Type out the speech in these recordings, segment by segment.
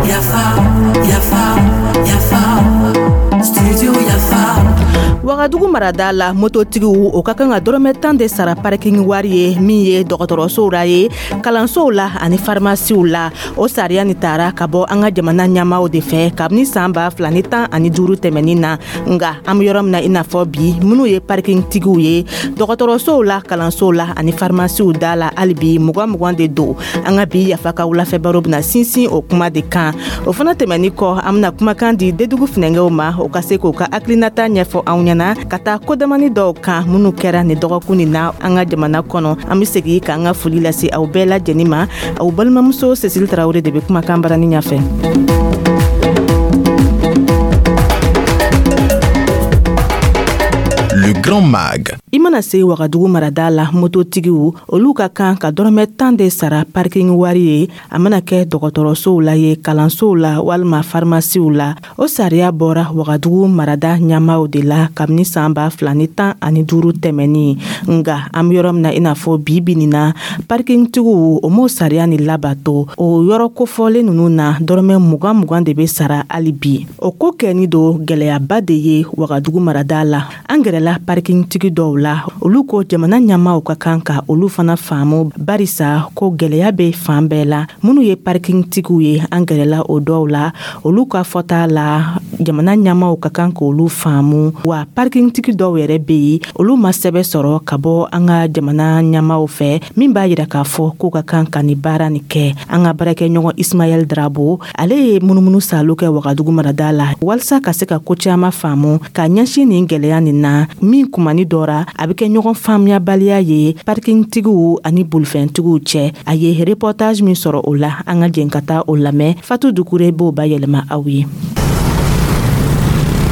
Yafa, yafa, yafa, studio Yafa. Wagadugu marada la, mototigiw o ka kan ka dɔrɔmɛ 10 de sara parking wari ye, min ye dɔgɔtɔrɔsow la ye, kalansow la ani farimasiw la. O sariya ni tara ka bɔ an ka jamana ɲɛmaaw de fɛ kabini saan 2015 tɛmɛnin na. Nga an be yɔrɔ min na i n'a fɔ bi, minnu ye parking tigiw ye dɔgɔtɔrɔsow la, kalansow la ani farimasiw da la, hali bi 20 20 de don. An ka bi Yafa ka wulafɛ baro bena sinsin o kuma de kan. O fana tɛmɛni kɔ, an bena kumakan di Dedugu funɛngɛw ma, o ka se k'o ka hakilinata ɲɛfɔ anw ɲɛna ka taa kodamani dɔw kan minnu kɛra nin dɔgɔkun nin na an ka jamana kɔnɔ. An be segi k'an ka foli lase aw bɛɛ lajɛnin ma. Aw balimamuso Cécile Tarawele de be kumakan barani ɲafɛ. Le Grand Mag. I mana se Wagadugu marada la, mototigiw olu ka kan ka dɔrɔmɛ 10 de sara parking wari ye, a mana kɛ dɔgɔtɔrɔsow la ye, kalansow la walima farimasiw la. O sariya bɔra Wagadugu marada ɲɛmaaw de la kabini saan 2015 tɛmɛnin. Nga an be yɔrɔ min na i n'a fɔ bi bi nin na, parkingtigiw o m'o sariya ni labato. O yɔrɔ kofɔlen nunu na, dɔrɔmɛ 20 20 de be sara hali bi. O ko kɛni don gwɛlɛyaba de ye Wagadugu marada la. An gɛrɛla parkingtigi dɔw la, olu ko jamana ɲɛmaaw ka kan ka olu fana faamu, barisa ko gwɛlɛya be fan bɛɛ la. Minnu ye parkingtigiw ye, an gɛrɛla o dɔw la, olu ka fɔta la, jamana ɲɛmaaw ka kan k'olu faamu. Wa parkingtigi dɔw yɛrɛ be yen, olu ma sɛbɛ sɔrɔ ka bɔ an ka jamana ɲɛmaaw fɛ min b'a yira k'a fɔ k'u ka kan ka nin baara nin kɛ. An ka baarakɛɲɔgɔn Ismaɛl Drabo, ale ye munumunu salo kɛ Wagadugu marada la walisa ka se ka ko caman faamu ka ɲɛsin nin gwɛlɛya nin na, min kumani dɔ ra a bɛ kɛ ɲɔgɔn faamuyabaliya ye parkingtigiw ani bolifɛntigiw cɛ. A ye reportage min sɔrɔ o la, an ka jɛn ka taa o lamɛn. Fatu Dukure b'o bayɛlɛma aw ye.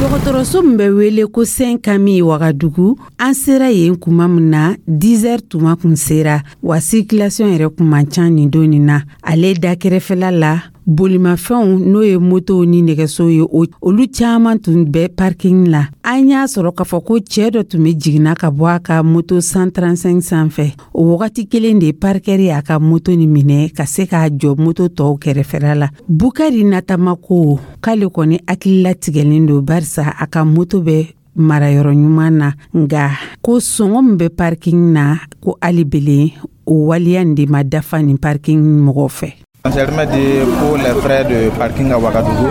Dɔgɔtɔrɔso min bɛ wele ko Saint Camille Wagadugu, an sera yen kuma min na, 10 heures tuma kun sera wa, circulation yɛrɛ kun man ca nin don nin na. Ale da kɛrɛfɛla la, bolimafɛnw, n'o ye motow ni nɛgɛsow ye, olu caman tun bɛ parking la. An y'a sɔrɔ k'a fɔ ko cɛɛ dɔ tun bɛ jiginna ka bɔ a ka moto 135 sanfɛ. O wagati kelen de, parkɛri y'a ka moto ni minɛ ka se k'a jɔ moto tɔw kɛrɛfɛla la. Bukari Natama ko k'ale kɔni hakililatigɛlen don, barisa a ka moto bɛ marayɔrɔ ɲuman na, nga ko sɔngɔ min bɛ parking na, ko hali belen o waleya nin de ma dafa nin parking mɔgɔw fɛ. Pour les frais de parking à Ouagadougou.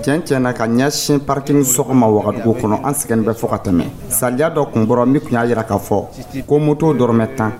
Tiɲɛ tiɲɛ na, ka ɲɛsin parking sɔgɔ ma Wagadugu kɔnɔ, an sɛgɛn bɛ fɔ ka tɛmɛ. Sariya dɔ kun bɔra min tun y'a yira k'a fɔ ko moto dɔrɔmɛ 10,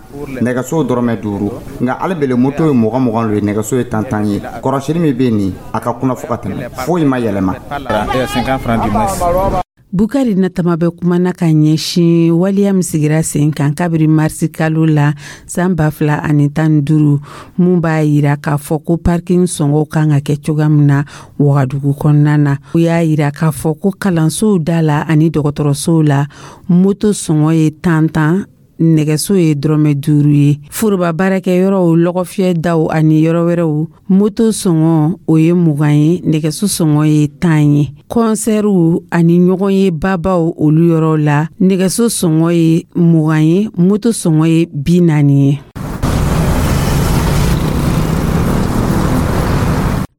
nɛgɛsow dɔrɔmɛ 5. Nka hali bele moto ye 20 20 lo ye, nɛgɛso ye 10 10 ye. Kɔrɔsili min bɛ nin, a ka kunna fɔ ka tɛmɛ, foyi ma yɛlɛma. 50 francs du moins. Bukari Natama bɛ kumana ka ɲɛsin waleya min sigira sen kan kabiri marisi kalo la san 2015, mun b'a yira k'a fɔ ko parking sɔngɔw kan ka kɛ cogoya min na Wagadugu kɔnɔna na. O y'a yira k'a fɔ ko kalansow da la ani dɔgɔtɔrɔsow la, moto sɔngɔ ye 10 10, nɛgɛso ye dɔrɔmɛ 5 ye. Foroba baarakɛyɔrɔw, lɔgɔfiyɛ daw ani yɔrɔ wɛrɛw, moto sɔngɔ o ye 20 ye, nɛgɛso sɔngɔ ye 10 ye. Kɔnsɛriw ani ɲɔgɔn ye babaw, olu yɔrɔw la, nɛgɛso sɔngɔ ye 20 ye, moto sɔngɔ ye 40 ye.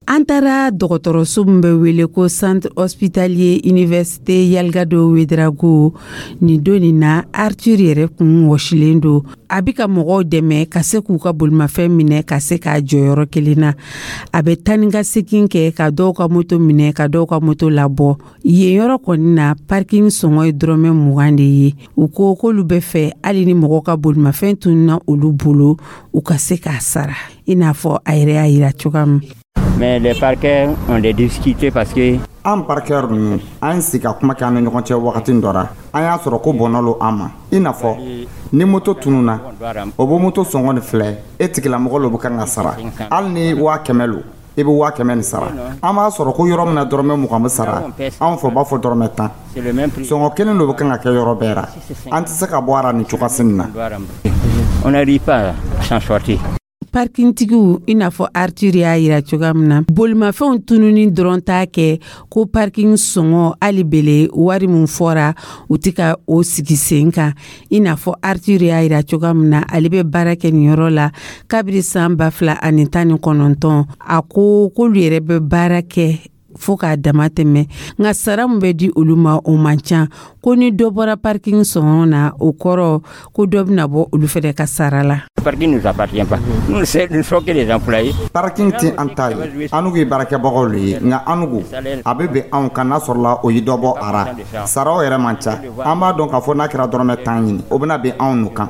An taara dɔgɔtɔrɔso min bɛ wele ko Centre Hospitalier Université Yalgado Ouédraogo. Nin don nin na, Arthur yɛrɛ kun wɔsilen don. A bɛ ka mɔgɔw dɛmɛ ka se k'u ka bolimafɛn minɛ ka se k'a jɔyɔrɔ kelen na. A bɛ taa ni ka segin kɛ ka dɔw ka moto minɛ, ka dɔw ka moto labɔ. Yen yɔrɔ kɔni na, parking sɔngɔ ye dɔrɔmɛ 20 de ye. U ko k'olu bɛ fɛ, hali ni mɔgɔw ka bolimafɛn tununna olu bolo, u ka se k'a sara, i n'a fɔ a yɛrɛ y'a yira cogoya min. Mais les parquets ont des difficultés parce que An parkɛr ninnu, an ye sigi ka kuma kɛ an ni ɲɔgɔn cɛ. Wagati dɔ ra, an y'a sɔrɔ ko bɔnɔ lo an ma, i n'a fɔ ni moto tununa, o bɛ moto sɔngɔ nin filɛ, e tigilamɔgɔ lo bɛ kan ka sara. Hali ni 100 000 lo, i bɛ 100 000 nin sara. An b'a sɔrɔ ko yɔrɔ min na dɔrɔmɛ 20 bɛ sara, anw fɛ u b'a fɔ dɔrɔmɛ 10. Sɔngɔ kelen lo bɛ kan ka kɛ yɔrɔ bɛɛ ra. An tɛ se ka bɔ a ra nin cogoya nin na. On n'arrive pas à s'en sortir. Parkintigiw, i n'a fɔ Arthur y'a yira cogoya min na, bolimafɛnw tununi dɔrɔn t'a kɛ ko parking sɔngɔ hali bele wari min fɔra, u tɛ ka o sigi sen kan. I n'a fɔ Arthur y'a yira cogoya min na, ale bɛ baara kɛ nin yɔrɔ la kabiri san 2019. A ko k'olu yɛrɛ bɛ baara kɛ fo k'a dama tɛmɛ, nka sara min bɛ di olu ma, o man ca. Ko ni dɔ bɔra parking sɔngɔ na, o kɔrɔ ko dɔ bɛna bɔ olu fɛnɛ ka sara la. Parking ne nous appartient pas. Nous, nous sommes que les employés. Parking tɛ an ta ye, an ye baarakɛbagaw le ye, nka anugu a bɛ bɛn anw kan n'a sɔrɔla o ye dɔ bɔ a ra. Saraw yɛrɛ man ca. An b'a dɔn k'a fɔ n'a kɛra dɔrɔmɛ 10 ɲini, o bɛna bɛn anw nu kan.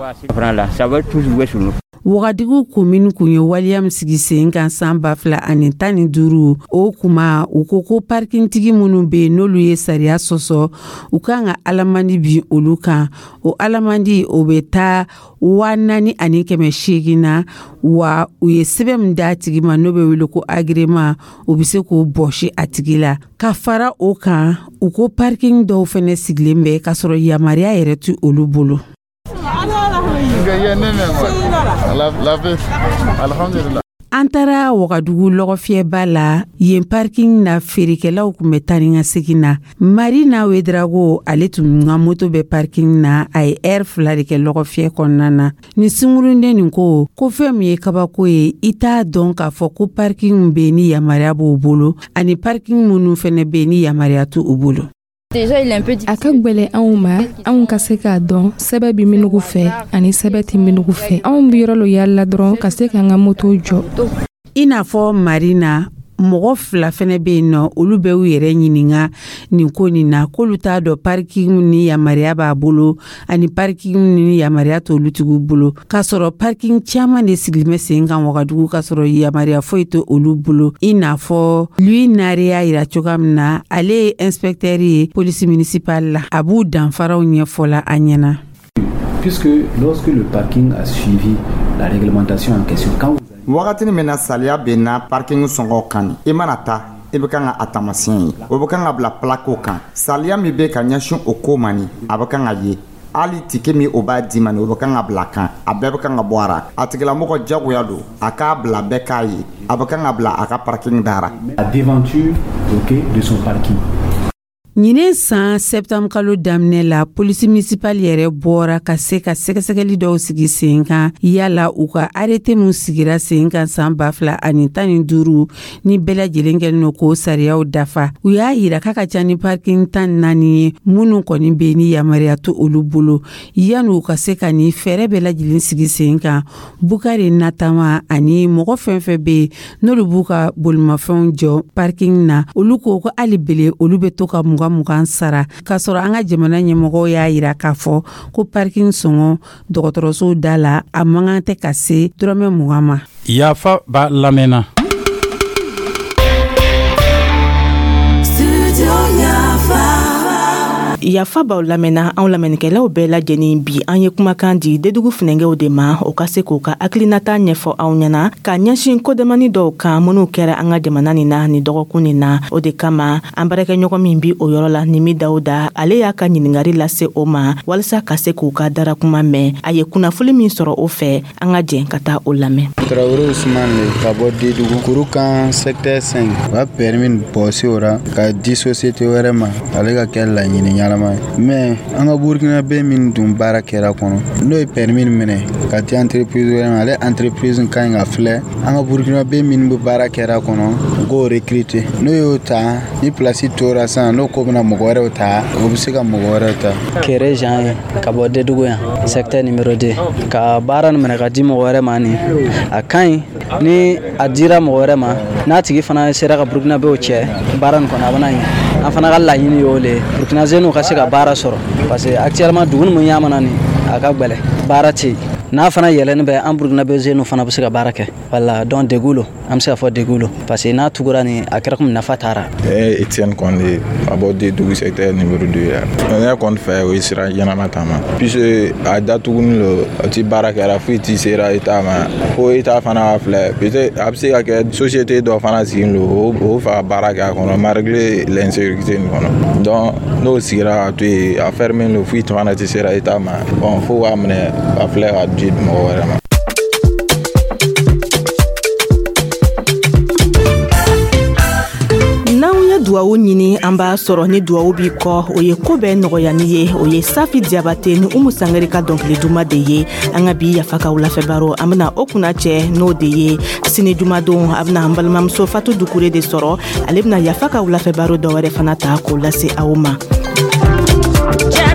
Là, ça va tous jouer sur nous. Wagadugu komini kun ye waleya min sigi sen kan san 2015, o kuma u ko ko parkintigi minnu be yen, n'olu ye sariya sɔsɔ, u kan ka alamandi bin olu kan. O alamandi, o bɛ taa 4800 na. Wa u ye sɛbɛn min d'a tigi ma, n'o bɛ wele ko agrément, u bɛ se k'o bɔsi a tigi la. Ka fara o kan, u ko parking dɔw fɛnɛ sigilen bɛ k'a sɔrɔ yamaruya yɛrɛ ti olu bolo. An taara Wagadugu lɔgɔfiyɛba la. Yen parking na, feerekɛlaw kun bɛ taa ni ka segin na. Marina Wedrago, ale tun ka moto bɛ parking na. A ye ɛri 2 de kɛ lɔgɔfiyɛ kɔnɔna na. Ni sunkurunden nin ko ko fɛn min ye kabako ye, i t'a dɔn k'a fɔ ko parking bɛ ni yamaruya b'o bolo, ani parking minnu fɛnɛ bɛ ni yamaruya t'u bolo. A ka gwɛlɛ anw ma, anw ka se k'a dɔn sɛbɛ bɛ minugu fɛ ani sɛbɛ tɛ minugu fɛ. Anw bɛ yɔrɔ lo yaala dɔrɔn ka se k'an ka moto jɔ. I n'a fɔ Marina, mɔgɔ fila fɛnɛ bɛ yen nɔ, olu bɛ u yɛrɛ ɲininka nin ko nin na, k'olu t'a dɔn parking ni yamaruya b'a bolo ani parking ni yamaruya t'olu tigiw bolo, k'a sɔrɔ parking caman de sigilen bɛ sen kan Wagadugu, k'a sɔrɔ yamaruya foyi tɛ olu bolo. I n'a fɔ Lui Nare y'a yira cogoya min na, ale ye inspecteur ye police municipale la, a b'u danfaraw ɲɛfɔla an ɲɛna. Puisque lorsque le parking a suivi la réglementation en question, quand Wagatini min na saliya benna parking sɔngɔ kan, i mana ta, i bɛ kan ka a taamasiyɛn ye, o bɛ kan ka bila plaquew kan. Saliya min bɛ ka ɲɛsin o ko ma nin, a bɛ kan ka ye. Hali ticket min o b'a di ma nin, o bɛ kan ka bila kan. A bɛɛ bɛ kan ka bɔ a ra. A tigilamɔgɔ jagoya don a k'a bila, bɛɛ k'a ye, a bɛ kan ka bila a ka parking da ra. La devanture, ok, de son parking. Ɲinɛ san septembre kalo daminɛ la, polisi municipal yɛrɛ bɔra ka se ka sɛgɛsɛgɛli dɔw sigi sen kan, yala u ka arrêté min sigira sen kan san 2015 ni bɛɛ lajɛlen kɛlen no k'o sariyaw dafa. U y'a yira k'a ka ca ni parking 14 ye minnu kɔni bɛ ni yamaruya to olu bolo. Yanni u ka se ka nin fɛɛrɛ bɛɛ lajɛlen sigi sen kan, Bukari Natama ani mɔgɔ fɛn fɛn bɛ yen n'olu b'u ka bolimafɛnw jɔ parking na, olu ko ko hali bele olu bɛ to ka 20 20 sara, k'a sɔrɔ an ka jamana ɲɛmɔgɔw y'a yira k'a fɔ ko parking sɔngɔ dɔgɔtɔrɔsow da la, a man kan tɛ ka se dɔrɔmɛ 20 ma. Yafa b'a lamɛnna. Yafa b'aw lamɛnna. Anw lamɛnnikɛlaw bɛɛ lajɛlen, bi an ye kumakan di Dedugu funɛngɛw de ma, o ka se k'u ka hakilinata ɲɛfɔ aw ɲɛna ka ɲɛsin kodamani dɔw kan minnu kɛra an ka jamana nin na nin dɔgɔkun nin na. O de kama, an baarakɛɲɔgɔn min bi o yɔrɔ la, Nimi Dawuda, ale y'a ka ɲiningari lase o ma walisa ka se k'u ka darakuma mɛn. A ye kunnafoli min sɔrɔ o fɛ, an ka jɛn ka taa o lamɛn. Tarawele Usman le ka bɔ Dedugu Kurukan secteur 5. U ka permis bɔsi o ra ka di société wɛrɛ ma, ale ka kɛ laɲini ɲɛnama ye. Mais an ka Burkinabé min dun baara kɛra kɔnɔ, n'o ye permis minɛ ka di entreprise wɛrɛ ma, ale entreprise ka ɲi ka filɛ an ka Burkinabé min bɛ baara kɛra kɔnɔ, u k'o recruter. N'o y'o ta, ni place tora sisan, n'o ko bɛna mɔgɔ wɛrɛw ta, o bɛ se ka mɔgɔ wɛrɛw ta. Kere Jean ye ka bɔ Dedugu yan, secteur numéro 2. Ka baara nin minɛ ka di mɔgɔ wɛrɛ ma nin, a ka ɲi. Ni a dira mɔgɔ wɛrɛ ma, n'a tigi fana sera ka Burkinabéw cɛ baara nin kɔnɔ, a bɛna ɲɛ. An fana ka laɲini y'o le ye, Burkina jeunes ka se ka baara sɔrɔ, parce que actuellement dugu min ɲa mana nin, a ka gwɛlɛ, baara tɛ yen. N'a fana yɛlɛni bɛ, an Burkinabé jeunes fana bɛ se ka baara kɛ. Wala donc degun lo, an bɛ se ka fɔ degun lo, parce que n'a tugura nin, a kɛra komi nafa taara. Ne ye Etienne Kɔnde ka bɔ Dedugu secteur numéro 2 la. Ne kɔni fɛ, o ye sira ɲɛnama ta ma, puisque a datuguni lo, a ti baara kɛra, foyi ti sera État ma. Fo État fana ka filɛ, peut-être a bɛ se ka kɛ société dɔ fana sigilen lo, o fɛ ka baara kɛ a kɔnɔ malgré l'insécurité nin kɔnɔ. Donc n'o sigira ka to yen, a fermé lo, foyi fana ti sera État ma. Bon, fo k'a minɛ ka filɛ ka di mɔgɔ wɛrɛ ma. Duwawu ɲini, an b'a sɔrɔ. Ni duwawu b'i kɔ, o ye ko bɛɛ nɔgɔyani ye. O ye Safi Diyabate ni Umu Sangare ka dɔnkili duman de ye. An ka bi Yafa ka wulafɛ baro, an bena o kunna cɛ n'o de ye. Sini jumadon, a bena an balimamuso Fatu Dukure de sɔrɔ. Ale bena Yafa ka wulafɛ baro dɔwɛrɛ fana ta k'o lase aw ma. Yeah.